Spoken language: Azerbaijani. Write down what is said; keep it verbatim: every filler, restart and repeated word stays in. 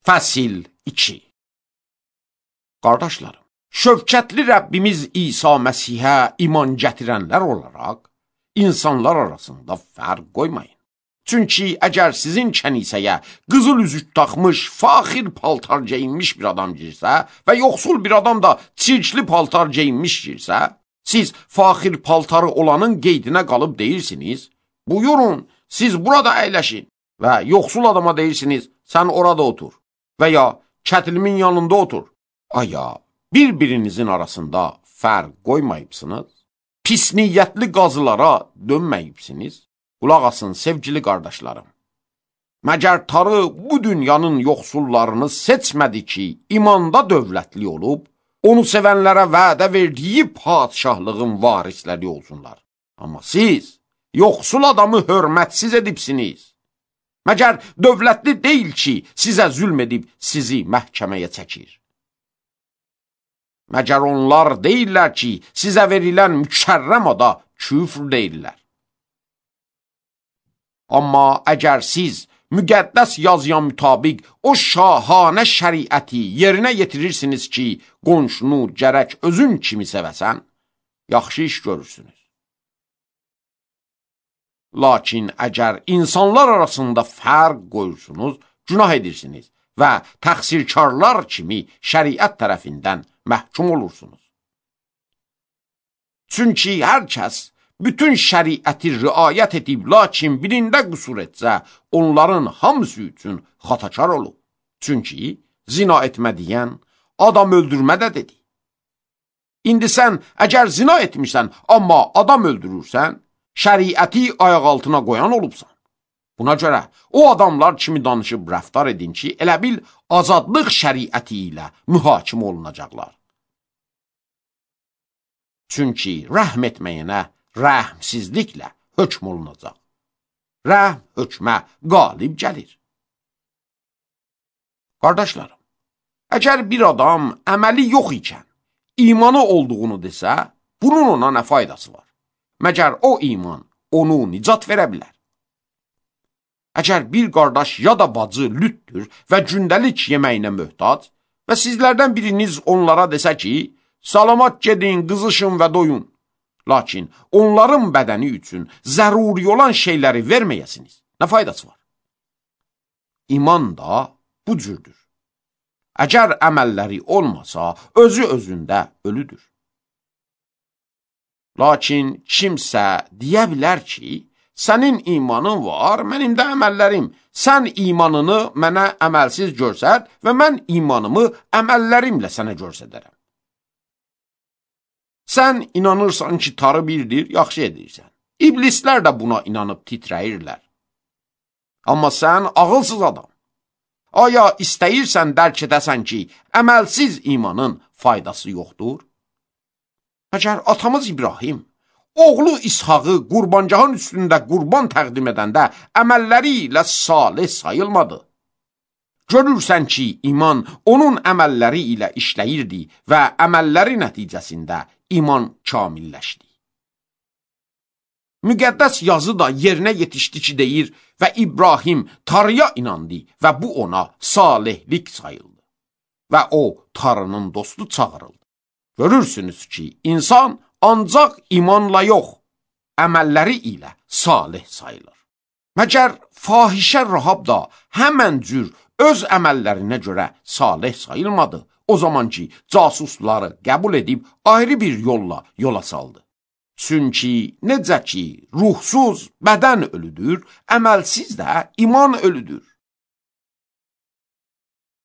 Fəsil iki. Qardaşlarım, şövkətli Rəbbimiz İsa Məsihə iman gətirənlər olaraq, insanlar arasında fərq qoymayın. Çünki əgər sizin kənisəyə qızıl üzük taxmış, faxir paltar geyinmiş bir adam girsə və yoxsul bir adam da çirkli paltar geyinmiş girsə, siz faxir paltarı olanın qeydinə qalıb deyirsiniz, buyurun, siz burada əyləşin və yoxsul adama deyirsiniz, sən orada otur və ya kətilimin yanında otur. Aya, bir-birinizin arasında fərq qoymayıbsınız, pis niyyətli qazılara dönməyibsiniz. Qulaq asın, sevgili qardaşlarım. Məgər Tanrı bu dünyanın yoxsullarını seçmədi ki, imanda dövlətli olub, onu sevənlərə vədə verdiyi padişahlığın varisləri olsunlar. Amma siz yoxsul adamı hörmətsiz edibsiniz. Məgər dövlətli deyil ki, sizə zülm edib sizi məhkəməyə çəkir. Məgər onlar deyirlər ki, sizə verilən mükərrəm ada küfr deyirlər. Amma əgər siz müqəddəs yazıya mütabiq o şahanə şəriəti yerinə yetirirsiniz ki, qonşunu gərək özün kimi sevəsən, yaxşı iş görürsünüz. Lakin əgər insanlar arasında fərq qoyursunuz, günah edirsiniz və təqsirkarlar kimi şəriət tərəfindən məhkum olursunuz. Çünki hər kəs bütün şəriəti riayət edib, lakin birində qüsur etsə, onların hamısı üçün xatakar olub. Çünki zina etmə deyən, adam öldürmə də dedi. İndi sən əgər zina etmirsən, amma adam öldürürsən, şəriəti ayaq altına qoyan olubsan. Buna görə o adamlar kimi danışıb rəftar edin ki, elə bil azadlıq şəriəti ilə mühakimə olunacaqlar. Çünki rəhm etməyənə rəhmsizliklə hökm olunacaq. Rəhm hökmə qalib gəlir. Qardaşlarım, əgər bir adam əməli yox ikən imanı olduğunu desə, bunun ona nə faydası var? Məgər o iman onu nicat verə bilər. Əgər bir qardaş ya da bacı lütdür və gündəlik yeməyinə möhtac və sizlərdən biriniz onlara desə ki, salamat gedin, qızışın və doyun. Lakin onların bədəni üçün zəruri olan şeyləri verməyəsiniz. Nə faydası var? İman da bu cürdür. Əgər əməlləri olmasa, özü özündə ölüdür. Lakin kimsə deyə bilər ki, sənin imanın var, mənim də əməllərim. Sən imanını mənə əməlsiz görsət və mən imanımı əməllərimlə sənə görsədərəm. Sən inanırsan ki, Tanrı birdir, yaxşı edirsən. İblislər də buna inanıb titrəyirlər. Amma sən ağılsız adam. Aya istəyirsən dərk edəsən ki, əməlsiz imanın faydası yoxdur? Əgər atamız İbrahim, oğlu İshaqı qurbancağın üstündə qurban təqdim edəndə əməlləri ilə salih sayılmadı. Görürsən ki, iman onun əməlləri ilə işləyirdi və əməlləri nəticəsində iman kamilləşdi. Müqəddəs yazı da yerinə yetişdi ki, deyir və İbrahim Tanrıya inandı və bu ona salihlik sayıldı və o Tanrının dostu çağırıldı. Görürsünüz ki, insan ancaq imanla yox, əməlləri ilə salih sayılır. Məgər fahişə Rahab da həmən cür öz əməllərinə görə salih sayılmadı. O zaman ki, casusları qəbul edib ayrı bir yolla yola saldı. Çünki necə ki, ruhsuz bədən ölüdür, əməlsiz də iman ölüdür.